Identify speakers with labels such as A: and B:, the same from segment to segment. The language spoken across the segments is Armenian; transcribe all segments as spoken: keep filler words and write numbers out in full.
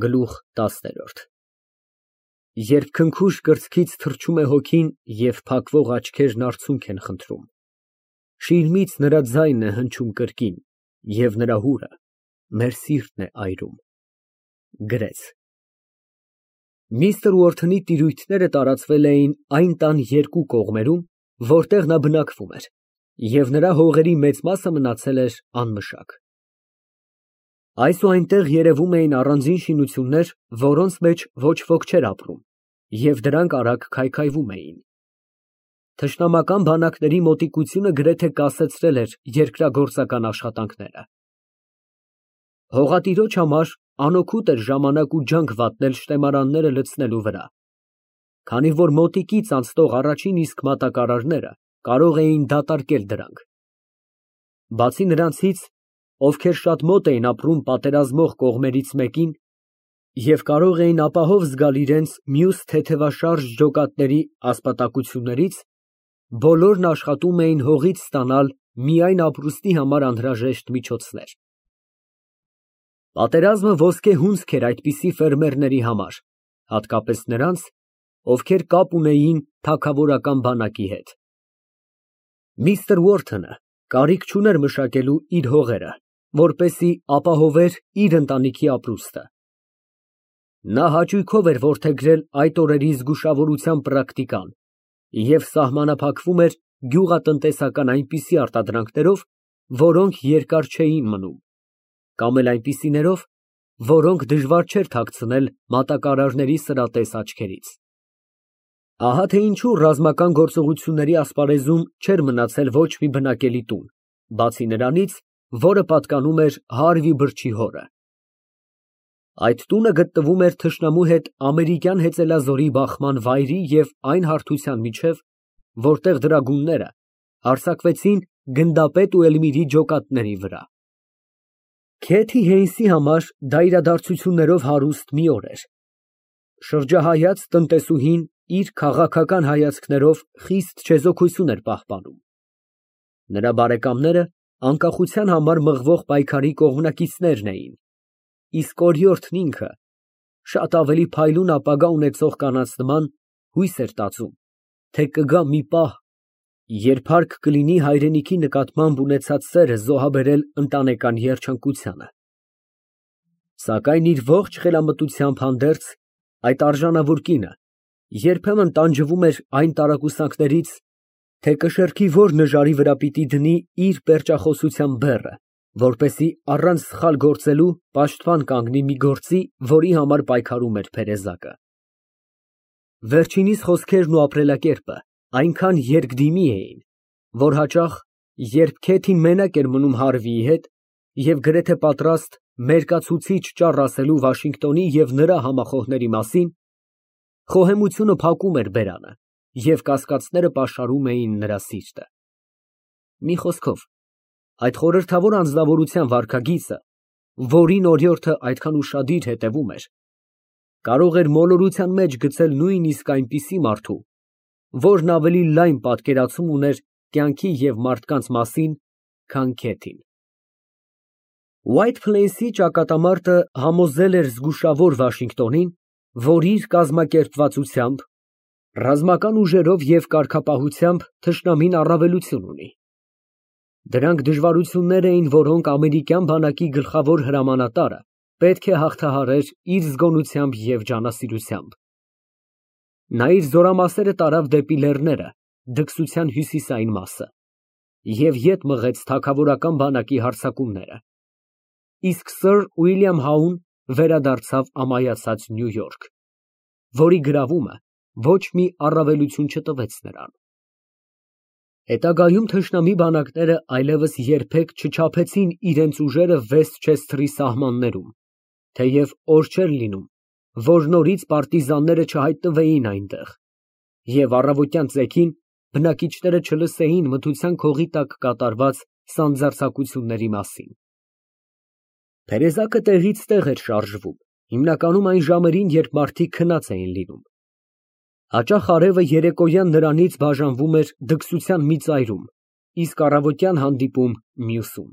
A: Գլուխ տասներորդ Երբ քնքուշ կրծքից թռչում է հոգին և փակվող աչքերն արցունք են խնդրում, շիրիմից նրա ձայնն է հնչում կրկին, և նրա հուրը մեր սիրտն է այրում։ Գրեց։ Միսթր Ուորթոնի տիրույթները տարածվել էին այն տան երկու կողմերում, որտեղ նա բնակվում էր, և նրա հողերի մեծ մասը մնացել էր անմշակ։ Այս ու այնտեղ երևում էին առանձին շինություններ, որոնց մեջ ոչ ոք չէր ապրում, և դրանք արագ քայքայվում էին։ Թշնամական բանակների մոտիկությունը գրեթե կասեցրել էր երկրագործական աշխատանքները։ Հողատիրոջ համար անօգուտ էր ժամանակ ու ջանք վատնել շտեմարանները լցնելու վրա, քանի որ մոտիկից անցնող առաջին իսկ մատակարարները կարող էին դատարկել դրանք։ Բացի նրանցից, ովքեր շատ մոտ էին ապրում պատերազմող կողմերից մեկին և կարող էին ապահով զգալ իրենց մյուս թեթևաշարժ ջոկատների ասպատակություններից, բոլորն աշխատում էին հողից ստանալ միայն ապրուստի համար անհրաժեշտ միջոցներ։ Պատերազմը ոսկե հունձք էր այդպիսի ֆերմերների համար, հատկապես նրանց, ովքեր կապ ունեին թագավորական բանակի հետ։ Միսթր Ուորթոնը կարիք չուներ մշակելու իր հողերը, որպեսզի ապահովեր իր ընտանիքի ապրուստը։ Նա հաճույքով էր որդեգրել այդ օրերի զգուշավորության պրակտիկան և սահմանափակվում էր գյուղատնտեսական այնպիսի արտադրանքներով, որոնք երկար չէին մնում, կամ էլ այնպիսիներով, որոնք դժվար չէր թաքցնել մատակարարների սրատես աչքերից։ Ահա թե ինչու ռազմական գործողությունների ասպարեզում չէր մնացել ոչ մի բնակելի տուն, բացի նրանից, որը պատկանում էր Հարվի բրդի հորը։ Այդ տունը գտնվում էր թշնամու հետ ամերիկյան հեծելազորի բախման վայրի և այն հարթության միջև, որտեղ դրագունները հարձակվեցին գնդապետ ու Էլմիրի ջոկատների վրա։ Քեթի Հեյնսի համար դա իրադարձություններով հարուստ մի օր էր։ Շրջահայաց տնտեսուհին իր քաղաքական հայացքներով խիստ չեզոքություն էր պահպանում։ Նրա բարեկամները անկախության համար մղվող պայքարի կողմնակիցներն էին, իսկ օրիորդն ինքը, շատ ավելի փայլուն ապագա ունեցող կանանց նման, հույս էր տածում, թե կգա մի պահ, երբ հարկ կլինի հայրենիքի նկատմամբ ունեցած սերը զոհաբերել ընտանեկան երջանկությանը։ Սակայն իր ողջ խելամտությամբ հանդերձ, այդ արժանավոր կինը երբեմն տանջվում էր այն տարակուսանքներից, թե կշեռքի որ նժարի վրա պիտի դնի իր պերճախոսության բեռը, որպեսզի առանց սխալ գործելու պաշտպան կանգնի մի գործի, որի համար պայքարում էր փերեզակը։ Վերջինիս խոսքերն ու ապրելակերպը այնքան երկդիմի էին, որ հաճախ, երբ Քեթին մենակ էր մնում Հարվիի հետ և գրեթե պատրաստ մերկացուցիչ ճառ ասելու Վաշինգտոնի և նրա համախոհների մասին, խոհեմությունը փակում էր բերանը, և կասկածները պաշարում էին նրա սիրտը։ Մի խոսքով, այդ խորհրդավոր անձնավորության վարքագիծը, որին օրիորդը այդքան ուշադիր հետևում էր, կարող էր մոլորության մեջ գցել նույնիսկ այնպիսի մարդու, որն ավելի լայն պատկերացում ուներ կյանքի և մարդկանց մասին, քան Քեթին։ Ուայթ Փլեյսի ճակատամարտը համոզել էր զգուշավոր Վաշինգտոնին, որ իր կազմակերպվածությամբ, ռազմական ուժերով և կարգապահությամբ թշնամին առավելություն ունի։ Դրանք դժվարություններ էին, որոնք ամերիկյան բանակի գլխավոր հրամանատարը պետք է հաղթահարեր իր զգոնությամբ և ջանասիրությամբ։ Նա իր զորամասերը տարավ դեպի լեռները, դքսության հյուսիսային մասը, և ետ մղեց թագավորական բանակի հարձակումները, իսկ սըր Ուիլյամ Հաուն վերադարձավ ամայացած Նյու Յորք, որի գրավումը ոչ մի առավելություն չտվեց նրան։ Հետագայում թշնամի բանակները այլևս երբեք չչափեցին իրենց ուժերը Վեսթչեսթերի սահմաններում, թեև օր չէր լինում, որ նորից պարտիզանները չհայտնվեին այնտեղ, և առավոտյան ծեքին բնակիչները չլսեին մթության քողի տակ կատարված սանձարձակությունների մասին։ Փերեզակը տեղից տեղ էր շարժվում, հիմնականում այն ժամերին, երբ մարդիկ քնած էին լինում։ Հաճախ արևը երեկոյան նրանից բաժանվում էր դքսության մի ծայրում, իսկ առավոտյան հանդիպում մյուսում։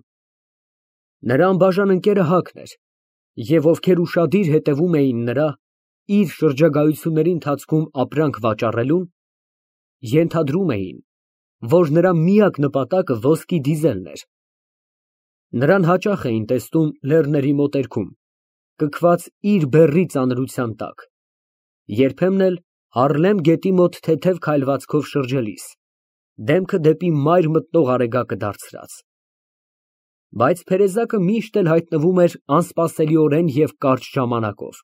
A: Նրա անբաժան ընկերը Հակն էր, և ովքեր ուշադիր հետևում էին նրա, իր շրջագայությունների ընթացքում ապրանք վաճառելուն, ենթադրում էին, որ նրա միակ նպատակը ոսկի դիզելն էր։ Նրան հաճախ էին տեսնում լեռների մոտերքում, կքված իր բեռի ծանրության տակ, երբեմն էլ Հարլեմ գետի մոտ թեթև քայլվածքով շրջելիս, դեմքը դեպի մայր մտնող արեգակը դարձրած։ Բայց Փերեզակը միշտ էլ հայտնվում էր անսպասելիորեն և կարճ ժամանակով,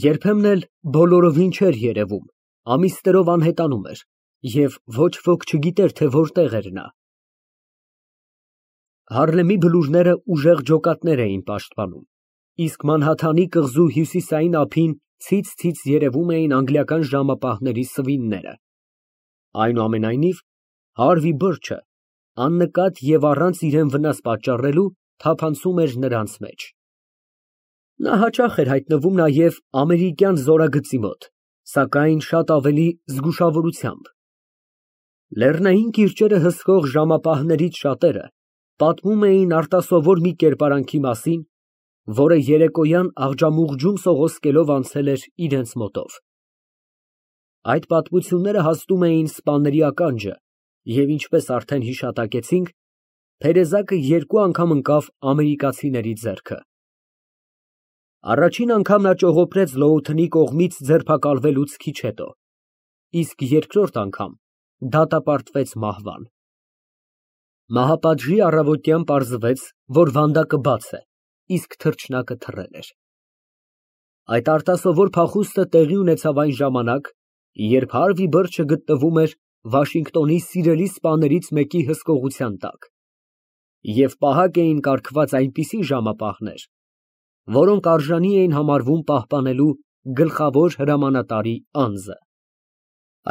A: երբեմն էլ բոլորովին չէր երևում, ամիսներով անհետանում էր, և ոչ ոք չգիտեր, թե որտեղ էր նա։ Հարլեմի բլուրները ուժեղ ջոկատներ էին պաշտպանում, իսկ Մանհաթանի կղզու հյուսիսային ափին ցից֊ցից երևում էին անգլիական ժամապահների սվինները։ Այնուամենայնիվ, Հարվի Բիրջը աննկատ և առանց իրան վնաս պատճառելու թափանցում էր նրանց մեջ։ Նա հաճախ էր հայտնվում նաև ամերիկյան զորագծի մոտ, սակայն շատ ավելի զգուշավորությամբ։ Լեռնային կիրճերը հսկող ժամապահներից շատերը պատմում էին արտասովոր մի կերպարանքի մասին, որը երեկոյան աղջամուղջում սողոսկելով անցել էր իրենց մոտով։ Այդ պատմությունները հասնում էին սպաների ականջը, և ինչպես արդեն հիշատակեցինք, Փերեզակը երկու անգամ ընկավ ամերիկացիների ձեռքը։ Առաջին անգամ նա ճողոպրեց Լոութընի կողմից ձերբակալվելուց քիչ հետո, իսկ երկրորդ անգամ դատապարտվեց մահվան։ Մահապատժի առավոտյան պարզվեց, որ վանդակը բաց է, իսկ թռչնակը թռել էր։ Այդ արտասովոր փախուստը տեղի ունեցավ այն ժամանակ, երբ Հարվի Բիրջը գտնվում էր Վաշինգտոնի սիրելի սպաներից մեկի հսկողության տակ, և պահակ էին կարգված այնպիսի ժամապահներ, որոնք արժանի էին համարվում պահպանելու գլխավոր հրամանատարի անձը։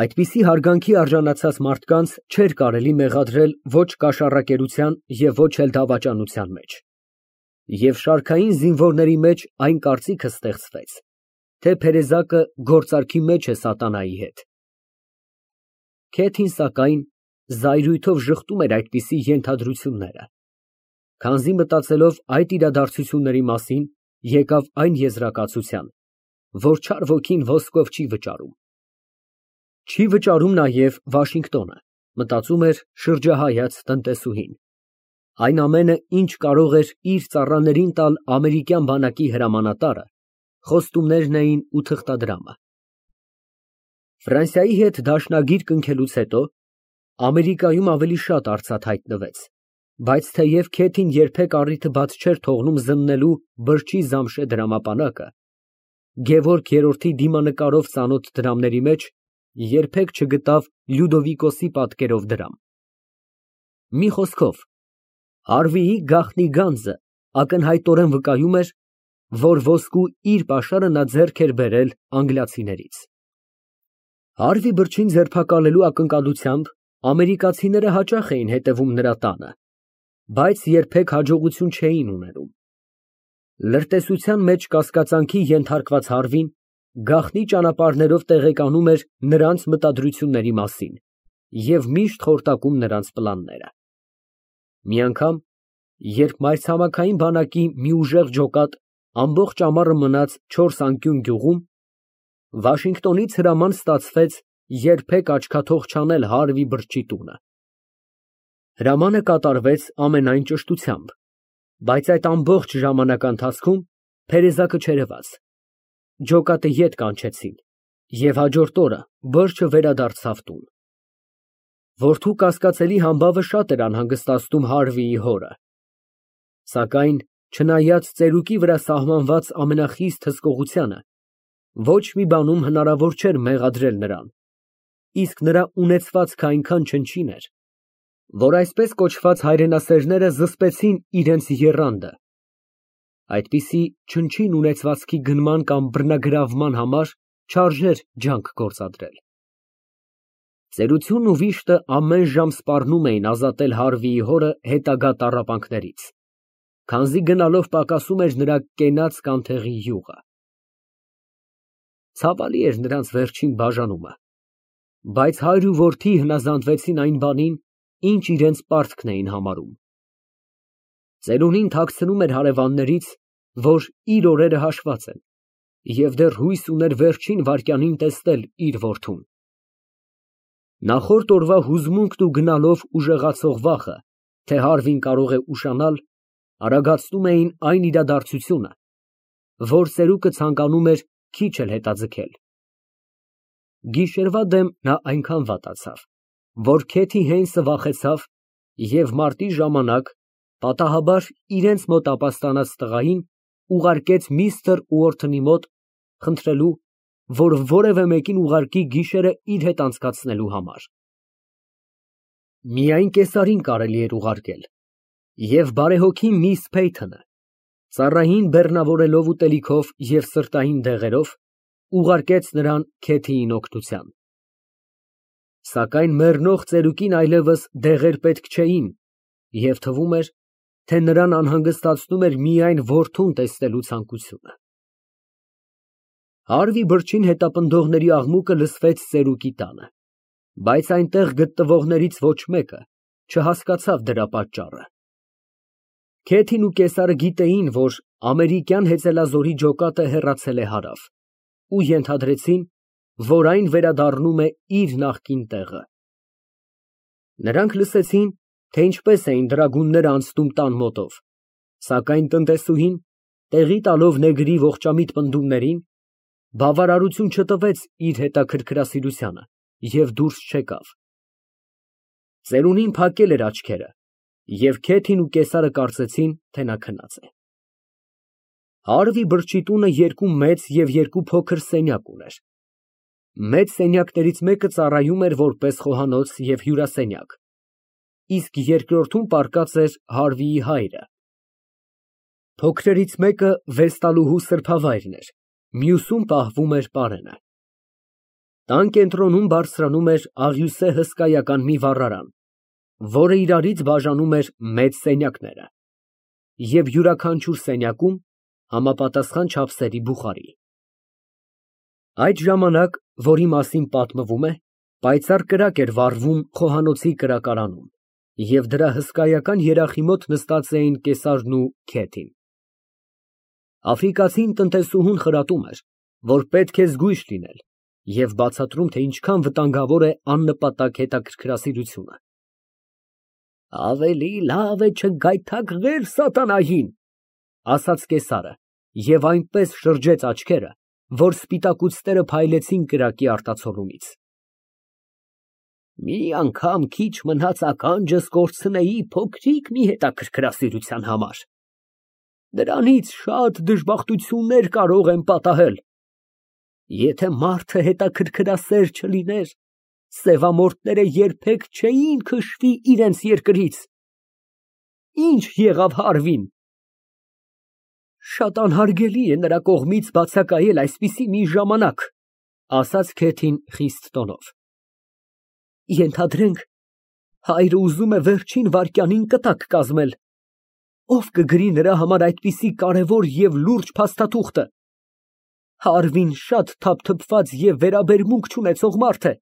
A: Այդպիսի հարգանքի արժանացած մարդկանց չէր կարելի մեղադրել ոչ կաշառակերության և ոչ էլ դավաճանության մեջ, և շարքային զինվորների մեջ այն կարծիքը ստեղծվեց, թե Փերեզակը գործարքի մեջ է սատանայի հետ։ Քեթին, սակայն, զայրույթով ժխտում էր այդպիսի ենթադրությունները, քանզի մտածելով այդ իրադարձությունների մասին, եկավ այն եզրակացության, որ չար ոգին ոսկով չի վճարում։ Չի վճարում նաև Վաշինգտոնը, մտածում էր շրջահայաց տնտեսուհին։ Այն ամենը, ինչ կարող էր իր ծառաներին տալ ամերիկյան բանակի հրամանատարը, խոստումներն էին ու թղթադրամը։ Ֆրանսիայի հետ դաշնագիր կնքելուց հետո Ամերիկայում ավելի շատ արծաթ հայտնվեց, բայց թեև Քեթին երբեք առիթը բաց չէր թողնում զննելու Բիրջի Զամշե դրամապանակը, Գևորգ երրորդի դիմանկարով ծանոթ դրամների մեջ երբեք չգտավ Լյուդովիկոսի պատկերով դրամ։ Մի խոսքով, Հարվիի գաղտնի գանձը ակնհայտորեն վկայում էր, որ ոսկու իր պաշարը նա ձեռք էր բերել անգլիացիներից։ Հարվի Բիրջին ձերբակալելու ակնկալությամբ ամերիկացիները հաճախ էին հետևում նրա տանը, բայց երբեք հաջողություն չէին ունենում։ Լրտեսության մեջ կասկածանքի ենթարկված Հարվին գաղտնի ճանապարհներով տեղեկանում էր նրանց մտադրությունների մասին և միշտ խորտակում նրանց պլանները։ Մի անգամ, երբ մայրցամաքային բանակի մի ուժեղ ջոկատ ամբողջ ամառը մնաց չորս անկյուն գյուղում, Վաշինգտոնից հրաման ստացվեց երբեք աչքաթող չանել Հարվի Բիրջի տունը։ Հրամանը կատարվեց ամենայն ճշտությամբ, բայց այդ ամբողջ ժամանակի ընթացքում Փերեզակը չերևաց։ Ջոկատը ետ կանչեցին, և հաջորդ օրը Բիրջը վերադարձավ տուն։ Որդու կասկածելի համբավը շատ էր անհանգստացնում Հարվիի հորը, սակայն չնայած ծերուկի վրա սահմանված ամենախիստ հսկողությանը, ոչ մի բանում հնարավոր չէր մեղադրել նրան, իսկ նրա ունեցվածքը այնքան չնչին էր, որ այսպես կոչված հայրենասերները զսպեցին իրենց եռանդը։ Այդպիսի չնչին ունեցվածքի գնման կամ բռնագրավման համար չարժեր ջանք գործադրել։ Ծերությունն ու վիշտը ամեն ժամ սպառնում էին ազատել Հարվիի հորը հետագա տառապանքներից, քանզի գնալով պակասում էր նրա կենաց կանթեղի յուղը։ Ցավալի էր նրանց վերջին բաժանումը, բայց հայր ու որդի հնազանդվեցին այն բանին, ինչ իրենց պարտքն էին համարում։ Ծերունին թաքցնում էր հարևաններից որ իր օրերը հաշված են, և դեռ հույս ուներ վերջին վայրկյանին տեսնել իր որդուն։ Նախորդ օրվա հուզմունքն ու գնալով ուժեղացող վախը, թե Հարվին կարող է ուշանալ, արագացնում էին այն իրադարձությունը, որ ծերուկը ցանկանում էր քիչ էլ հետաձգել։ Գիշերվա դեմ նա այնքան վատացավ, որ Քեթի Հեյնսը վախեցավ և մարտի ժամանակ պատահաբար իրենց մոտ ապաստանած տղային ուղարկեց միստր Ուորթոնի մոտ, խնդրելու, որ որևէ մեկին ուղարկի գիշերը իր հետ անցկացնելու համար։ Միայն կեսարին կարելի էր ուղարկել, և բարեհոգի միս Փեյթոնը, ծառային բեռնավորելով ուտելիքով և սրտային դեղերով, ուղարկեց նրան Քեթիին օգնության։ Սակայն մեռնող ծերուկին այլևս դեղեր պետք չէին, և թվում էր, թե նրան անհանգստացնում էր միայն որդուն տեսնելու ցանկությունը։ Հարվի բրջին հետապնդողների աղմուկը լսվեց ծերուկի տանը, բայց այնտեղ գտնվողներից ոչ մեկը չհասկացավ դրա պատճառը։ Քեթին ու կեսարը գիտեին, որ ամերիկյան հեծելազորի ջոկատը հեռացել է հարավ, ու ենթադրեցին, որ այն վերադառնում է իր նախկին տեղը։ Նրանք լսեցին, թե ինչպես էին դրագունները անցնում տան մոտով, սակայն տնտեսուհին, տեղի տալով նեգրի ողջամիտ պնդումներին, բավարարություն չտվեց իր հետաքրքրասիրությանը և դուրս չեկավ։ Ծերունին փակել էր աչքերը, և Քեթին ու կեսարը կարծեցին, թե նա քնած է։ Հարվի բրջի տունը երկու մեծ և երկու փոքր սենյակ ուներ։ Մեծ սենյակներից մեկը ծառայում էր որպես խոհանոց և հյուրասենյակ, իսկ երկրորդում պառկած էր Հարվիի հայրը։ Փոքրերից մեկը վեստալուհու սրբավայրն էր, մյուսում պահվում էր պարենը։ Տան կենտրոնում բարձրանում էր աղյուսե հսկայական մի վառարան, որը իրարից բաժանում էր մեծ սենյակները, և յուրաքանչյուր սենյակում համապատասխան չափսերի բուխարի։ Այդ ժամանակ, որի մասին պատմվում է, պայծառ կրակ էր վառվում խոհանոցի կրակարանում, և դրա հսկայական երախի մոտ նստած էին կեսարն ու Քեթին։ Աֆրիկացին տնտեսուհուն խրատում էր, որ պետք է զգույշ լինել, և բացատրում, թե ինչքան վտանգավոր է աննպատակ հետաքրքրասիրությունը։ «Ավելի լավ է չգայթակղել սատանային», ֊ ասաց կեսարը և այնպես շրջեց աչքերը, որ սպիտակուցները փայլեցին կրակի արտացոլումից։ «Մի անգամ քիչ մնաց ականջս կորցնեի փոքրիկ մի հետաքրքրասիրության համար, դրանից շատ դժբախտություններ կարող եմ պատահել։ Եթե մարդը հետաքրքրասեր չլիներ, սևամորթները երբեք չէին քշվի իրենց երկրից։ Ինչ եղավ Հարվին։ Շատ անհարգելի է նրա կողմից բացակայել այսպիսի մի ժամանակ», ֊ ասաց Քեթին խիստ տոնով։ «Ենթադրենք, հայրը ուզում է վերջին վայրկյանին կտակ կազմել։ Ո՞վ կգրի նրա համար այդպիսի կարևոր և լուրջ փաստաթուղթը։ Հարվին շատ թափթփված և վերաբերմունք չունեցող մարդ է։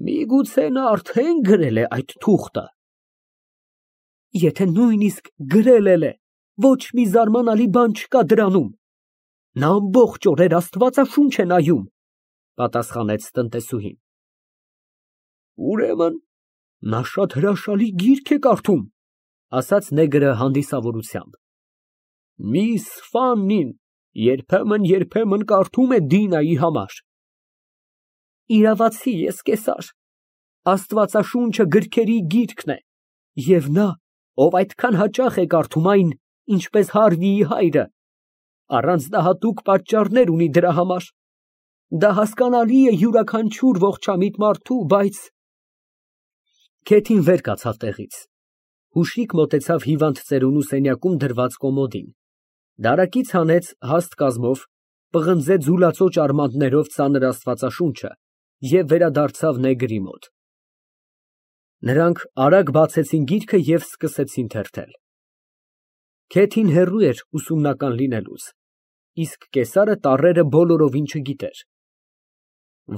A: Միգուցե նա արդեն գրել է այդ թուղթը։ Եթե նույնիսկ գրել էլ է, ոչ մի զարմանալի բան չկա դրանում։ Նա ամբողջ օրեր աստվածաշունչ է նայում», ֊ պատասխանեց տնտեսուհին։ «Ուրեմն նա շատ հրաշալի գիրք է կարդում», ֊ ասաց նեգրը հանդիսավորությամբ։ «Միս Ֆաննին երբեմն֊երբեմն կարդում է Դինայի համար»։ «Իրավացի ես, կեսար, աստվածաշունչը գրքերի գիրկն է, և նա, ով այդքան հաճախ է կարդում այն, ինչպես Հարվիի հայրը, առանձնահատուկ պատճառներ ունի դրա համար։ Դա հասկանալի է յուրաքանչյուր ողջամիտ մարդու, բայց…» Քեթին վեր կացավ տեղից, հուշիկ մոտեցավ հիվանդ ծերունու սենյակում դրված կոմոդին, դարակից հանեց հաստ կազմով, պղնձե ձուլածոճ արմատներով ծանր աստվածաշունչը և վերադարձավ նեգրի մոտ։ Նրանք արագ բացեցին գիրքը և սկսեցին թերթել։ Քեթին հեռու էր ուսումնական լինելուց, իսկ կեսարը տառերը բոլորովին չգիտեր։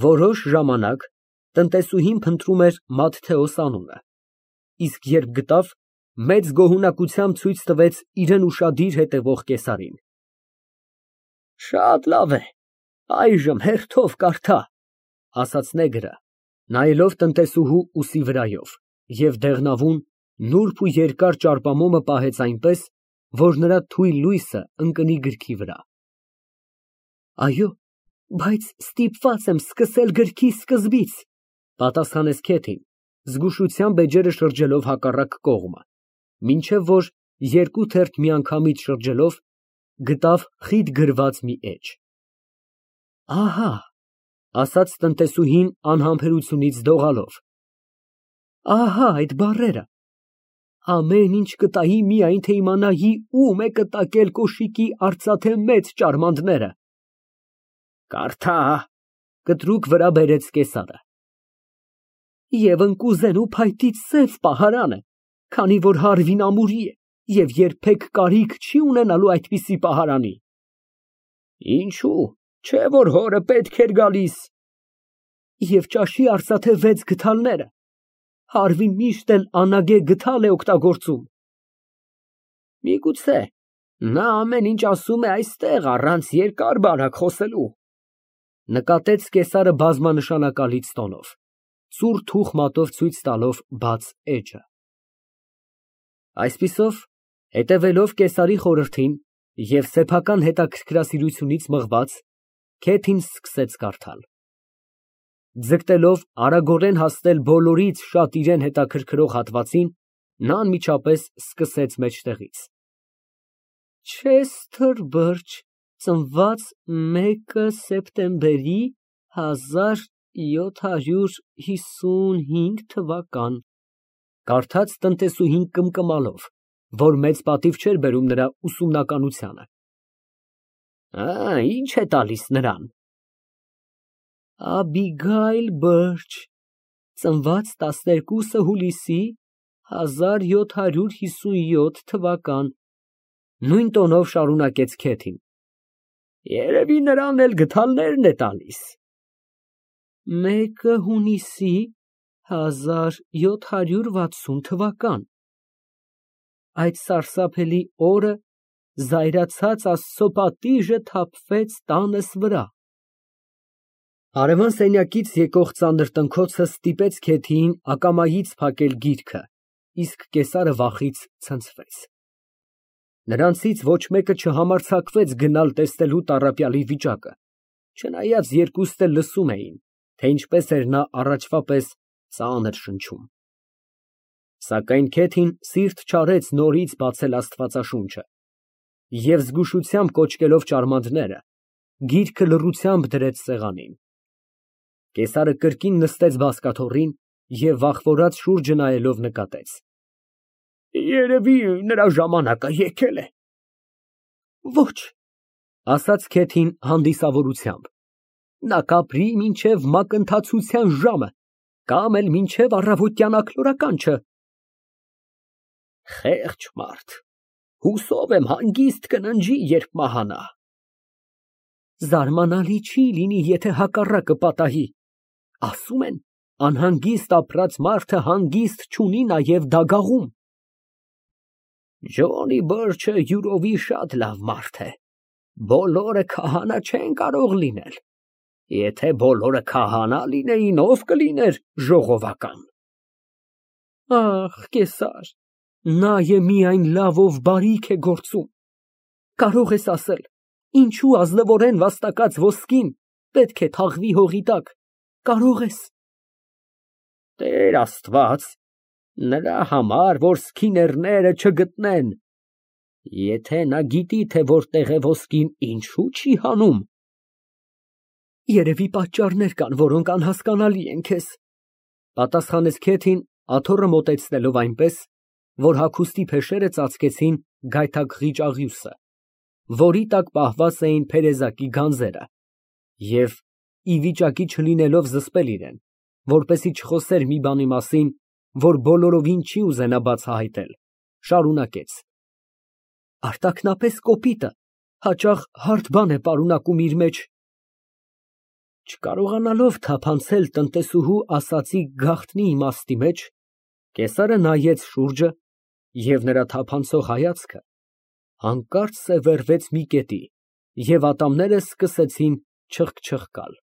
A: Որոշ ժամանակ տնտեսուհին փնտրում էր Մատթեոս անունը, իսկ երբ գտավ, մեծ գոհունակությամբ ցույց տվեց իրան ուշադիր հետևող կեսարին։ Շատ լավ է, այժմ հերթով կարդա, ասաց նեգրը, նայելով տնտեսուհու ուսի վրայով, և դեղնավուն, նուրբ ու երկար ճարպամոմը պահեց այնպես, որ նրա թույլ լույսը ընկնի գրքի վրա։ Այո, բայց ստիպված եմ սկսել գրքի սկզբից, պատասխանեց Քեթին, զգուշությամբ էջերը շրջելով հակառակ կողմը, մինչև որ երկու թերթ միանգամից շրջելով գտավ խիտ գրված մի էջ։ Ահա, ասաց տնտեսուհին անհամբերությունից դողալով, ահա այդ բառերը, ամեն ինչ կտայի միայն թե իմանայի ում է կտակել կոշիկի արծաթե մեծ ճարմանտները։ Կարդա, կտրուկ վրա բերեց կեսարը։ Եվ ընկուզեն ու փայտի սև պահարան է, քանի որ հարվին ամուրի է և երբեք կարիք չի ունենալու այդպիսի պահարանի։ Ինչու, չէ որ հորը պետք էր գալիս։ Եվ ճաշի արծաթե վեց գդալները, հարվին միշտ էլ անագե գդալ է օգտագործում։ Միգուցե, նա ամեն ինչ ասում է այստեղ առանց երկար բարակ խոսելու, նկատեց կեսարը բազմանշանակալից տոնով, ծուռ թուխ մատով ցույց տալով բաց էջը։ Այսպիսով, հետևելով կեսարի խորհրդին և սեփական հետաքրքրասիրությունից մղված, Քեթին սկսեց կարդալ։ Ձգտելով արագորեն հասնել բոլորից շատ իրան հետաքրքրող հատվածին, նա անմիջապես սկսեց մեջտեղից. Չեսթեր Բըրջ, ծնված մեկը սեպտեմբերի հազար յոթ հարյուր հիսունհինգ թվական, կարդաց տնտեսուհին կմկմալով, որ մեծ պատիվ չէր բերում նրա ուսումնականությանը։ Ինչ է տալիս նրան։ Աբիգայլ Բըրջ, ծնված տասներկուսը հուլիսի հազար յոթ հարյուր հիսունյոթ թվական, նույն տոնով շարունակեց Քեթին։ Երևի նրան էլ գդալներն է տալիս։ Մեկը հունիսի հազար յոթ հարյուր վաթսուն թվական, այդ սարսափելի օրը զայրացած Աստծո պատիժը թափվեց տանս վրա։ Հարևան սենյակից եկող ծանր տնքոցը ստիպեց Քեթիին ակամայից փակել գիրքը, իսկ կեսարը վախից ցնցվեց։ Նրանցից ոչ մեկը չհամարձակվեց գնալ տեսնելու տառապյալի վիճակը, չնայած երկուստ էլ լսում էին, թե ինչպես էր նա առաջվա պես ծանր շնչում։ Սակայն Քեթին սիրտ չարեց նորից բացել Աստվածաշունչը և զգուշությամբ կոչկելով ճարմանտները, գիրքը լռությամբ դրեց սեղանին։ Կեսարը կրկին նստեց բազկաթոռին և վախվորած շուրջը նայելով նկատեց. Երևի նրա ժամանակը եկել է։ Ոչ, ասաց Քեթին հանդիսավորությամբ, նա կապրի մինչև մակընթացության ժամը կամ էլ մինչև առավոտյան աքլորականջը։ Խեղճ մարդ, հուսով եմ հանգիստ կննջի, երբ մահանա։ Զարմանալի չի լինի, եթե հակառակը պատահի, ասում են, անհանգիստ ապրած մարդը հանգիստ չունի նաև դագաղում։ Ջոնի Բըրջը յուրովի շատ լավ մարդ է, բոլորը քահանա չեն կարող լինել, եթե բոլորը քահանա լինեին, ով կլիներ ժողովական։ Ախ, կեսար, նա է միայն լավով բարիք է գործում, կարող ես ասել, ինչու ազնվորեն վաստակած ոսկին պետք է թաղվի հողի տակ, կարող ես։ Տեր Աստված, նրա համար, որ սքիներները չգտնեն, եթե նա գիտի, թե որտեղ է ոսկին, ինչու չի հանում։ Երևի պատճառներ կան, որոնք անհասկանալի են քեզ, պատասխանեց Քեթին, աթոռը մոտեցնելով այնպես, որ հագուստի փեշերը ծածկեցին գայթակղիչ աղյուսը, որի տակ պահված էին փերեզակի գանձերը, և, ի վիճակի չլինելով զսպել իրեն, որպեսզի չխոսեր մի բանի մասին, որ բոլորովին չի ուզենա բացահայտել, շարունակեց. Արտաքնապես կոպիտը հաճախ հարթ բան է պարունակում իր մեջ։ Չկարողանալով թափանցել տնտեսուհու ասածի գաղտնի իմաստի մեջ, կեսարը նայեց շուրջը Եվ նրա թափանցող հայացքը հանկարծ սևեռվեց մի կետի, և ատամները սկսեցին չխկչխկալ։